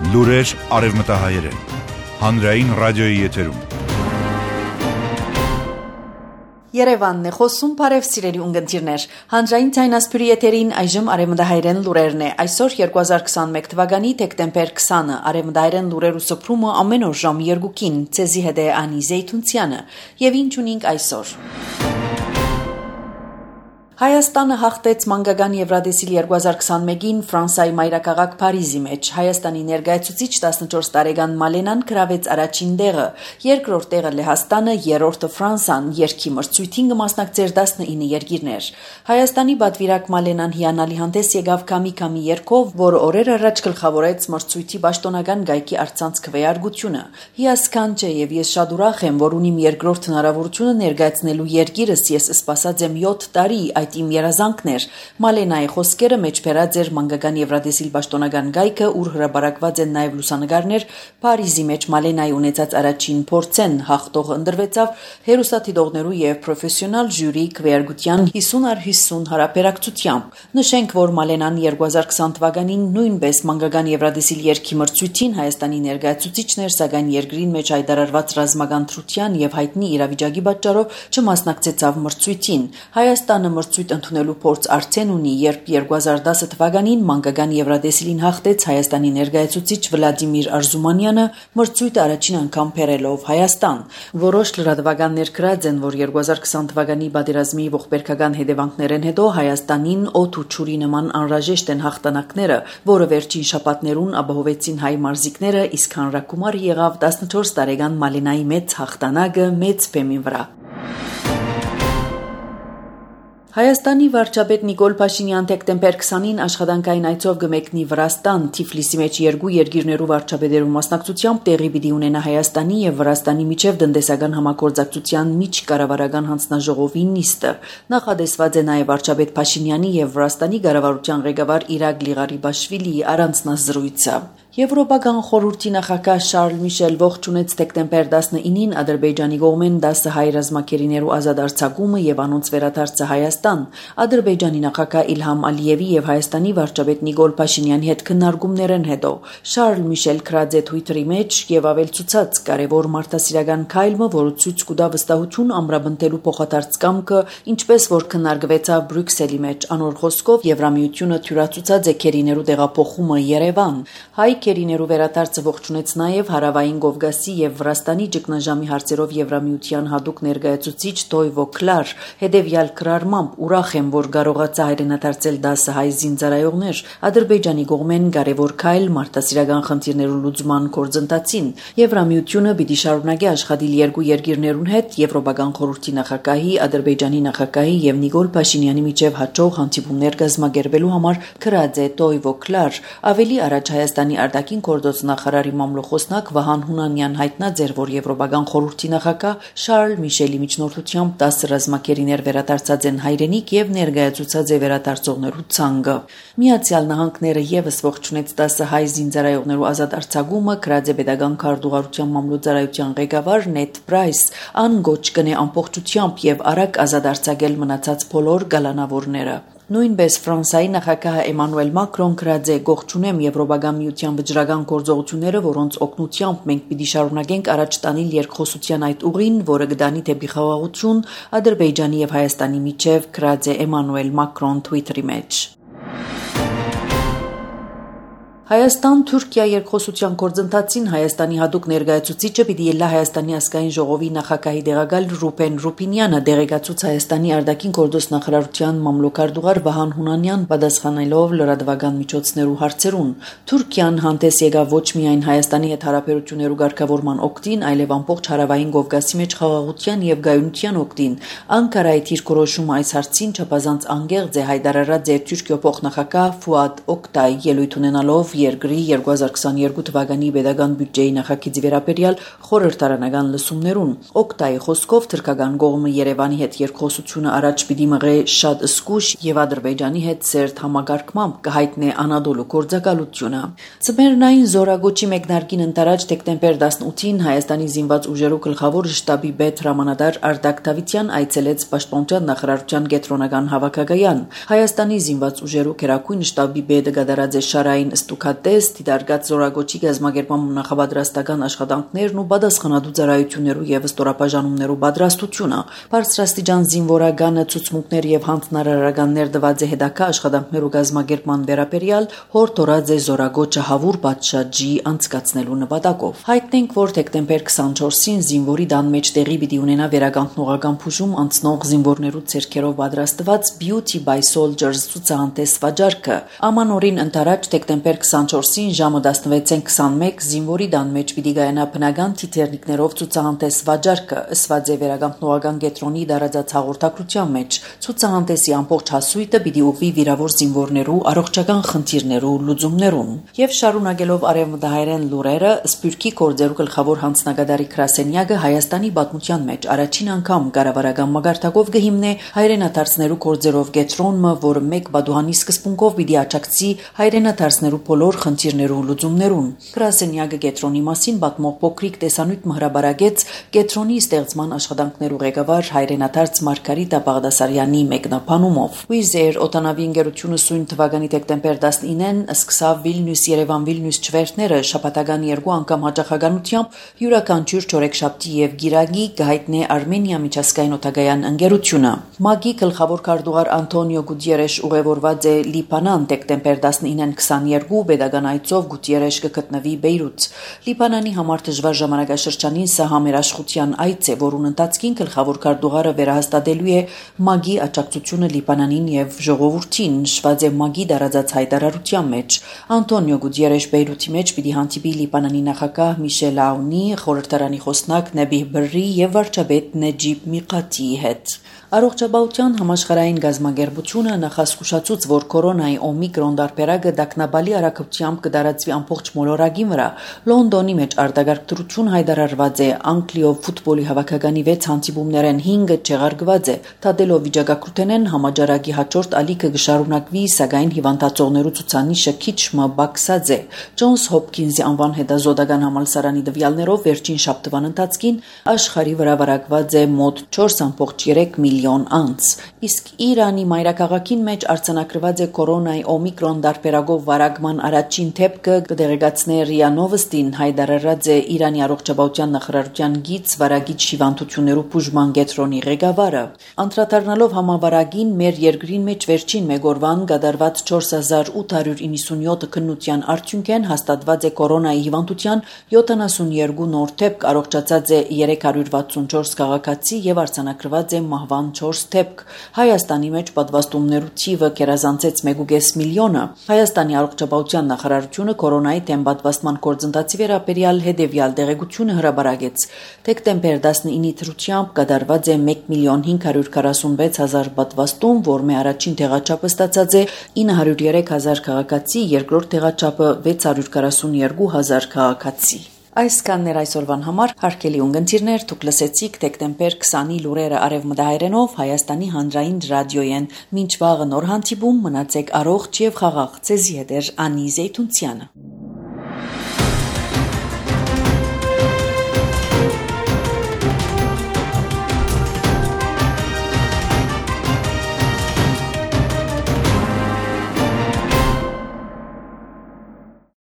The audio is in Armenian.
Լուրեր արևմտահայերեն, հանրային ռադիոյի եթերում։ Երևանն է խոսում, բարև սիրելի ունգընտիրներ, հանրային ցայնասպյուրի եթերին այժմ արևմտահայերեն լուրերն է, այսօր 2021 թվականի դեկտեմբեր 20-ը, արևմտահայերեն լուրերու սփռումը ամեն օր ժամ 2-ին, ցեզի հետ է Անի Զեյթունցյանը, եւ ինչ ունենք այսօր։ Հայաստանը հաղթեց մանկական Եվրադեսիլ 2021-ին Ֆրանսիայի մայրաքաղաք Փարիզի մեջ։ Հայաստանի ներկայացուցիչ 14 տարեկան Մալենան գրավեց առաջին տեղը, երկրորդ տեղը Լեհաստանը, երրորդը Ֆրանսան, երգի մրցույթին կմասնակցեր 19 երկիրներ։ Հայաստանի պատվիրակ Մալենան հիանալի հանդես եկավ քամի երգով, որը օրեր առաջ գլխավորեց մրցույթի պաշտոնական գայքի առցանց քվեարկությունը։ Հիասքանչ է եւ ես շատ ուրախ եմ, որ ունիմ երկրորդ հնարավորությունը ներկայացնելու երկիրս, ես սպասած եմ 7 տարի իմ երազանքներ, Մալենայի խոսքերը մեջ բերած էր մանկական Եվրադեսիլ պաշտոնական գայքը, ուր հրապարակված են նաև լուսանկարներ, Փարիզի մեջ Մալենայի ունեցած առաջին փորձեն հաղթողը ընտրվեցավ հերոստատիտողներու եւ պրոֆեսիոնալ ժյուրի քվեարկության 50/50 հարաբերակցությամբ։ Նշենք, որ Մալենան 2020 թվականին նույնպես մանկական Եվրադեսիլ երգի մրցույթին Հայաստանի ներկայացուցիչն էր, սակայն երկրին մեջ հայտարարված ռազմական թրության եւ հայտնի իրավիճակի պատճառով չմասնակցեցավ մրցույթին։ Հայաստանը մրցույթ ընդունելու փորձ արդեն ունի, երբ 2010 թվականին մանկական Եվրադեսիլին հաղթեց Հայաստանի ներկայացուցիչ Վլադիմիր Արզումանյանը մրցույթը առաջին անգամ բերելով Հայաստան։ Որոշ լրատվականներ գրած են, որ 2020 թվականի պատերազմի ողբերգական հետևանքներեն հետո Հայաստանին օդ ու ջուրի նման անհրաժեշտ են հաղթանակները, որը վերջին շաբաթներուն ապահովեցին հայ մարզիկները, իսկ հանրակումար եղավ 14 տարեկան Մալենայի մեծ հաղթանակը մեծ բեմի վրա։ Հայաստանի վարչապետ Նիկոլ Փաշինյան դեկտեմբեր 20-ին աշխատանքային այցով կմեկնի Վրաստան, Թիֆլիսի մեջ երկու երկիրներու վարչապետերու մասնակցությամբ տեղի պիտի ունենա Հայաստանի եւ Վրաստանի միջև տնտեսական համագործակցության միջկառավարական հանձնաժողովի նիստը։ Նախադեсված է նաեւ վարչապետ Փաշինյանի եւ Վրաստանի կառավարության ղեկավար Իրագլի Ղարիբաշվիլիի առանձնազրույցը։ Եվրոպական խորհրդի նախագահ Շարլ Միշել ողջունեց դեկտեմբեր 19-ին Ադրբեջանի կողմեն 10 հայ ռազմակերիներու ազատ արձակումը եւ անոնց վերադարձը Հայաստան։ Ադրբեջանի նախագահ Իլհամ Ալիևի եւ Հայաստանի վարչապետ Նիկոլ Փաշինյանի հետ քննարկումներն հետո Շարլ Միշել գրած է Twitter-ի մեջ եւ ավելցուցած կարեւոր մարդասիրական քայլը, որը ցույց կտա վստահություն ամրապնդելու փոխադարձ կամքը, ինչպես որ քննարկվեցավ Բրյուսելի մեջ, անոր խոսքով Եվրամիությունը թյուրացուցած է քերիներու տեղափոխումը Երևան։ Հայ քերիներու վերադարձը ողջունեց նաև Հարավային Կովկասի եւ Վրաստանի ճգնաժամի հարցերով Եվրամիության հատուկ ներկայացուցիչ Տոյվո Կլար, հետեւյալ գրառմամբ ուրախ եմ, որ կարողացա հայրենադարձել 10 հայ զինծառայողներ, Ադրբեջանի կողմեն կարևոր քայլ մարդասիրական խնդիրներու լուծման գործընթացին։ Եվրամիությունը պիտի շարունակի աշխատել երկու երկիրներուն հետ, Եվրոպական խորհրդի նախագահի, Ադրբեջանի նախագահի եւ Նիկոլ Փաշինյանի միջև հաջող հանդիպումներ կազմակերպելու համար գրած է Տոյվո Կլար։ Ավելի առաջ Հայաստանի արտաքին գործոց նախարարի մամլոխոսնակ Վահան Հունանյան հայտնած էր, որ Եվրոպական խորհրդի նախագահ Շարլ Միշելի միջնորդությամբ 10 ռազմակերիներ վերադարձած են հայրենիք եւ ներկայացուցած է վերադարձողներու ցանկը։ Միացյալ Նահանգները եւս ողջունեց 10 հայ զինծառայողներու ազատ արձակումը, գրած է Պետական քարտուղարության մամլոյցարայության ղեկավար Նեթ Պրայս, ան գոչ կնե ամբողջությամբ եւ արագ ազատ արձակել մնացած բոլոր գալանավորները։ Նույնպես Ֆրանսիայի նախագահ Էմանուել Մակրոն գրած է գողջունեմ Եվրոպական միության վճռական գործողությունները, որոնց օգնությամբ մենք պիտի շարունակենք առաջ տանել երկխոսության այդ ուղին, որը կդանի դեպի խաղաղություն Ադրբեջանի եւ Հայաստանի միջև, գրած է Էմանուել Մակրոն Twitter-ի մեջ։ Հայաստան-Թուրքիա երկխոսության գործընթացին Հայաստանի հատուկ ներկայացուցիչը պիտի ելնա Հայաստանի ազգային ժողովի նախագահի տեղակալ Ռուբեն Ռուբինյանը դեղեկացուց Հայաստանի արտաքին գործոց նախարարության մամլոյցարդուղար Վահան Հունանյան պատասխանելով լրատվական միջոցներու հարցերուն։ Թուրքիան հանդես եկավ ոչ միայն Հայաստանի հետ հարաբերություններու ղեկավարման օգտին, այլև ամբողջ Հարավային Կովկասի մեջ խաղաղության եւ գայունության օգտին։ Անկարայի դիրքորոշումը այս հարցին չափազանց անգեղծ է հայտարարած է Թուրքիո փոխնախագահ Ֆուադ Օկտայ ելույթ ունենալով երկրի 2022 թվականի պետական բյուջեի նախագծի վերաբերյալ խորհրդարանական լսումներուն։ Օկտայի խոսքով թուրքական կողմը Երևանի հետ երկխոսությունը առաջ պիտի մղի շատ զգուշ եւ Ադրբեջանի հետ սերտ համագարկմամբ կհայտնի Անադոլու գործակալությունը։ Ծմերնային զորագոչի մեկնարկին ընթരാճ դեկտեմբեր 18-ին Հայաստանի զինված ուժերու գլխավոր շտաբի պետ հրամանատար Արտակ Դավթյան այցելեց Պաշտպանության նախարարության կենտրոնական հավաքակայան։ Հայաստանի զինված ուժերու քերակույն շտաբի պետը գդարած է Շարային Ստուք նախատես դիտարկած զորագոչի գազམ་ագերման նախապատրաստական աշխատանքներն ու պատասխանատու ծառայություններու եւ ստորապաժանումներու պատրաստությունը։ Բարձրաստիճան զինվորականը ցուցմունքներ եւ հանձնարարականներ տված է հետագա աշխատանքներու գազམ་ագերման վերաբերյալ հորդորած է զորագոչը հավուր պատշաճի անցկացնելու նպատակով։ Հայտնենք, որ դեկտեմբեր 24-ին զինվորի դան մեջ տեղի պիտի ունենա վերականգնողական փուժում անցնող զինվորներու ցերքերով պատրաստված Beauty by Soldiers ցուցահանդես վաճառքը։ Ամանորին ընթരാճ դեկտեմբեր 24-ին ժամը 16:21 զինվորի դան մեջ պիտի գայանա բնական թիթեռնիկներով ցուցահանդես վաճառքը, ըսված է վերականգնողական կենտրոնի դարաձած հաղորդակցության մեջ։ Ցուցահանդեսի ամբողջ հասույթը պիտի ուղղվի վիրավոր զինվորներու առողջական խնդիրներու լուծումներուն։ Եվ շարունակելով արևմտահայերեն լուրերը, Սփյուռքի գործերու գլխավոր հանձնագետարի Կրասենյակը Հայաստանի պատմության մեջ առաջին անգամ կառավարական մագարտակով կհիմնե հայրենադարձներու գործերով կենտրոնը, որը մեկ բադուհանի սկզբունքով պիտի աջակցի հայրենադարձներու բոլոր խնդիրներու լուծումներուն։ Կրասենյակը կենտրոնի մասին պատմող փոքրիկ տեսանյութ մհրաբարագեց կենտրոնի ստեղծման աշխատանքներու ղեկավար հայրենադարձ Մարգարիտա Բաղդասարյանի մեկնաբանումով։ Wizz Air օտանավի ընկերությունը սույն թվականի դեկտեմբեր 19-ին սկսավ Վիլնյուս-Երևան-Վիլնյուս չվերթները շաբաթական 2 անգամ հաճախականությամբ յուրաքանչյուր չորեքշաբթի եւ գիրագի կհայտնե Արմենիա միջազգային օդագայան ընկերությունը։ ՄԱԳ-ի գլխավոր քարտուղար Անտոնիո Գուտիերեշ ուղևորված է Լիբանան դեկտեմբեր 19-ին 22 pedagogan այցով Գուտիերեշ կգտնվի Բեյրութ։ Լիբանանի համար դժվար ժամանակաշրջանին սա համերաշխության այց է, որուն ընթացքին գլխավոր քարտուղարը վերահաստատելու է ՄԱԳ-ի աջակցությունը Լիբանանին եւ ժողովրդին, նշված է ՄԱԳ-ի դարաձած հայտարարության մեջ։ Անտոնիո Գուտիերեշ Բեյրութի մեջ պիտի հանդիպի Լիբանանի նախագահ Միշել Աունի, խորհրդարանի խոսնակ Նեբիհ Բրրի եւ վարչապետ Նեջիբ Միղաթիի հետ։ Առողջապահության համաշխարհային գազམ་ագերբությունը նախազգուշացուց, որ կորոնայի օմիկրոն դարբերակը դակնաբալի արագությամբ կդարածվի ամբողջ մոլորակի վրա։ Լոնդոնի մեջ արտագաղթություն հայտարարված է, Անգլիով ֆուտբոլի հավաքականի 6 հանդիպումներեն 5-ը չեղարկված է։ Թադելով վիճակագրութենեն համաճարակի հաջորդ ալիքը կշարունակվի, սակայն հիվանդացողներու ցուցանիշը քիչ մը բարձած է։ Ջոնս Հոփքինզի անվան հետազոտական համալսարանի տվյալներով վերջին շաբթվան ընթացքին աշխարհի վրա վարակված է մոտ 4.3 միլիոն անց, իսկ Իրանի մայրաքաղաքին մեջ արձանագրված է կորոնայի օմիկրոն դարբերակով վարակման առաջին դեպքը, կդեղեկացնե ՌԻԱ Նովոստին, հայտարարած է Իրանի առողջապահության նախարարության գիծ վարակիչ հիվանդություններու բուժման կենտրոնի ղեկավարը։ Անդրադառնալով համավարակին, մեր երկրին մեջ վերջին մեկ օրվան կատարված 4897 քննության արդյունքեն հաստատված է կորոնայի հիվանդության 72 նոր դեպք, առողջացած է 364 քաղաքացի եւ արձանագրված է մահվան 4 դեպք։ Հայաստանի մեջ պատվաստումներու թիվը կերազանցեց 1.5 միլիոնը։ Հայաստանի առողջապահության նախարարությունը կորոնայի դեմ պատվաստման գործընթացի վերաբերյալ հետևյալ տեղեկությունը հրապարակեց։ Դեկտեմբեր 19-ի դրությամբ կատարված է 1.546.000 պատվաստում, որմե առաջին տեղաչափը ստացած է 903,000 քաղաքացի, երկրորդ տեղաչափը 642,000 քաղաքացի։ Այսքանն էր այսօրվան համար, հարգելի ունգընտիրներ, դուք լսեցիք դեկտեմբեր 20-ի լուրերը արևմտահայերենով Հայաստանի հանրային ռադիոյեն։ Մինչ վաղը նոր հանդիպում, մնացեք առողջ եւ խաղաղ։ Ձեզի հետ է Անի Զեյթունցյանը։